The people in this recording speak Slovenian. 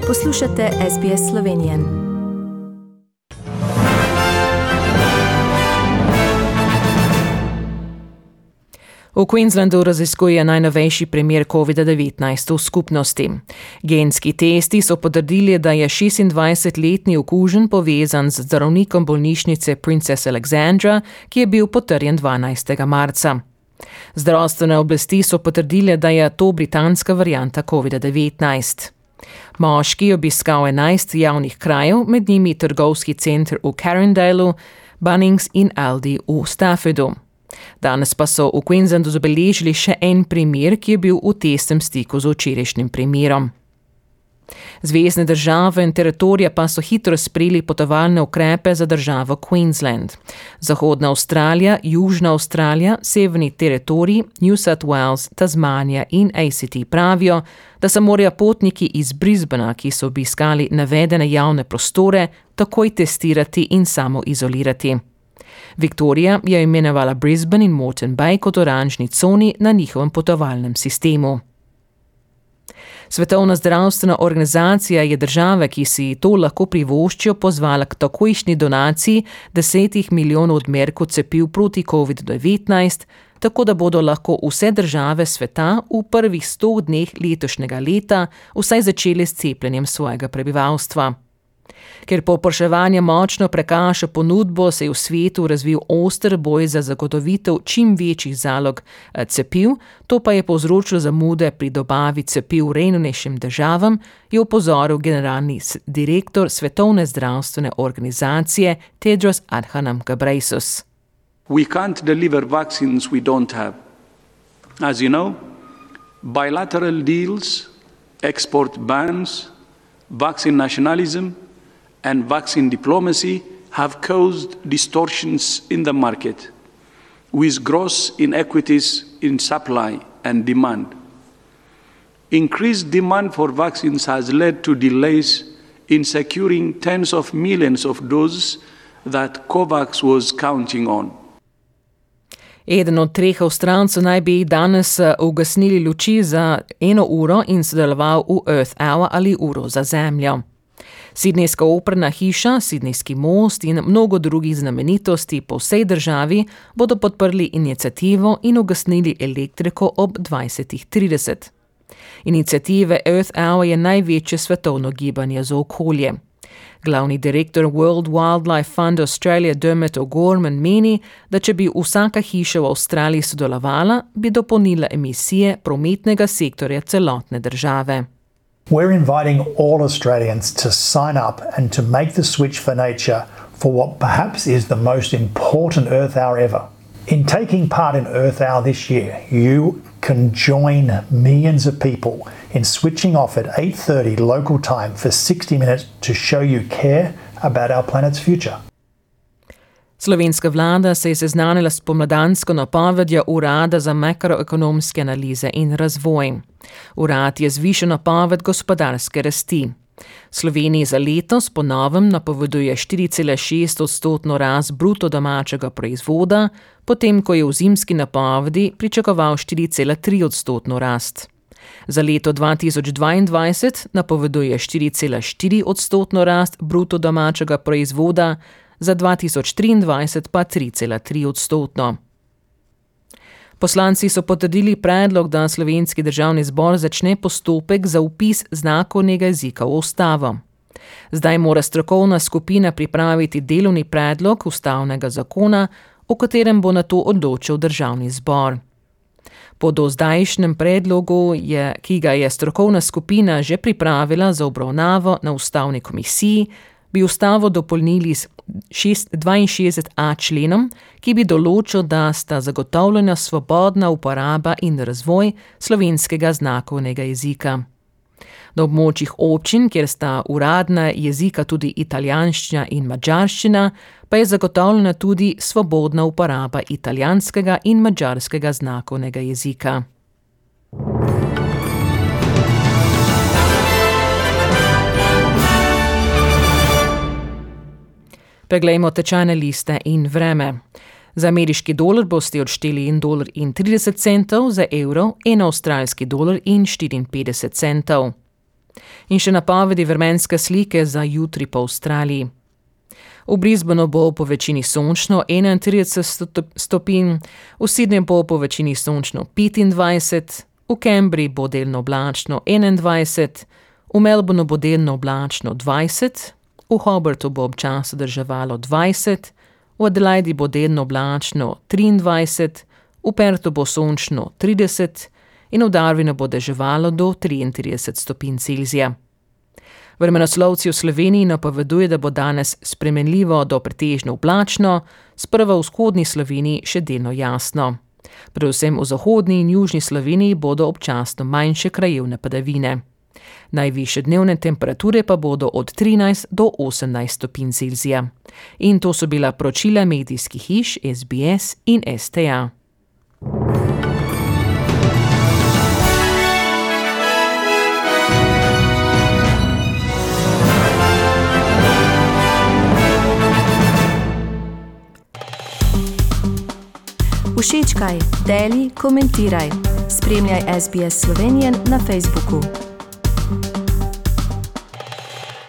Poslušate SBS Slovenije. V Queenslandu raziskuje najnovejši primer COVID-19 v skupnosti. Genski testi so potrdili, da je 26-letni okužen povezan z zdravnikom bolnišnice Princess Alexandra, ki je bil potrjen 12. marca. Zdravstvene oblasti so potrdile, da je to britanska varianta COVID-19. Moški je obiskal 11 javnih krajev, med njimi trgovski center v Carindaleu, Bunnings in Aldi v Staffordu. Danes pa so v Queenslandu zabeležili še en primer, ki je bil v tesnem stiku z včerajšnjim primerom. Zvezne države in teritorija pa so hitro sprejeli potovalne ukrepe za državo Queensland. Zahodna Avstralija, Južna Avstralija, Severni teritorij, New South Wales, Tasmanija in ACT pravijo, da se morajo potniki iz Brisbanea, ki so obiskali navedene javne prostore, takoj testirati in samoizolirati. Victoria je imenovala Brisbane in Moreton Bay kot oranžni coni na njihovem potovalnem sistemu. Svetovna zdravstvena organizacija je države, ki si to lahko privoščijo, pozvala k takojšnji donaciji 10 milijonov odmerkov cepiv proti COVID-19, tako da bodo lahko vse države sveta v prvih 100 dneh letošnjega leta vsaj začeli s cepljenjem svojega prebivalstva. Ker povpraševanje močno prekaša ponudbo, se je v svetu razvil oster boj za zagotovitev čim večjih zalog cepiv, to pa je povzročilo zamude pri dobavi cepiv revnejšim državam, je opozoril generalni direktor Svetovne zdravstvene organizacije Tedros Adhanom Ghebreyesus. We can't deliver vaccines we don't have. As you know, bilateral deals, export bans, vaccine nationalism and vaccine diplomacy have caused distortions in the market, with gross inequities in supply and demand. Increased demand for vaccines has led to delays in securing tens of millions of doses that COVAX was counting on. Eden od 3 Avstralcev naj bi danes ugasnili luči za 1 uro in sodeloval v Earth Hour ali uro za zemljo. Sidnejska operna hiša, Sidnejski most in mnogo drugih znamenitosti po vsej državi bodo podprli iniciativo in ugasnili elektriko ob 20:30. Iniciative Earth Hour je največje svetovno gibanje za okolje. Glavni direktor World Wildlife Fund Australia Dermot O'Gorman meni, da če bi vsaka hiša v Avstraliji sodelovala, bi dopolnila emisije prometnega sektorja celotne države. We're inviting all Australians to sign up and to make the switch for nature for what perhaps is the most important Earth Hour ever. In taking part in Earth Hour this year, you can join millions of people in switching off at 8:30 local time for 60 minutes to show you care about our planet's future. Slovenska vlada se je seznanila s pomladansko napovedjo Urada za makroekonomske analize in razvoj. Urad je zvišal napoved gospodarske rasti. Sloveniji za letos po novem napoveduje 4,6% rast bruto domačega proizvoda, potem ko je v zimski napovedi pričakoval 4,3% rast. Za leto 2022 napoveduje 4,4% rast bruto domačega proizvoda, za 2023 pa 3,3%. Poslanci so potrdili predlog, da Slovenski državni zbor začne postopek za vpis znakovnega jezika v ustavo. Zdaj mora strokovna skupina pripraviti delovni predlog ustavnega zakona, o katerem bo nato odločil državni zbor. Po dozdajšnjem predlogu, ki ga je strokovna skupina že pripravila za obravnavo na ustavni komisiji, bi ustavo dopolnili s 62a členom, ki bi določil, da sta zagotovljena svobodna uporaba in razvoj slovenskega znakovnega jezika. Na območjih občin, kjer sta uradna jezika tudi italijanščina in madžarščina, pa je zagotovljena tudi svobodna uporaba italijanskega in madžarskega znakovnega jezika. Preglejmo tečajne liste in vreme. Za ameriški dolar boste odšteli $1,30, za evro $1,54. In še napovedi vremenske slike za jutri po Avstraliji. V Brisbaneu bo po večini sončno 31 stopinj, v Sydneyju bo po večini sončno 25, v Canberri bo delno oblačno 21, v Melbourneu bo delno oblačno 20, v Hobartu bo občasno deževalo 20, v Adelaidi bo delno oblačno 23, v Perthu bo sončno 30 in v Darwinu bo deževalo do 33 stopinj Celzija. Vremenoslovci v Sloveniji napoveduje, da bo danes spremenljivo do pretežno oblačno, sprva v vzhodni Sloveniji še delno jasno. Predvsem v zahodni in južni Sloveniji bodo občasno manjše krajevne padavine. Najvišje dnevne temperature pa bodo od 13 do 18 stopinj Celzija. In to so bila poročila medijskih hiš SBS in STA. Všečkaj, deli, komentiraj. Spremljaj SBS Slovenijo na Facebooku.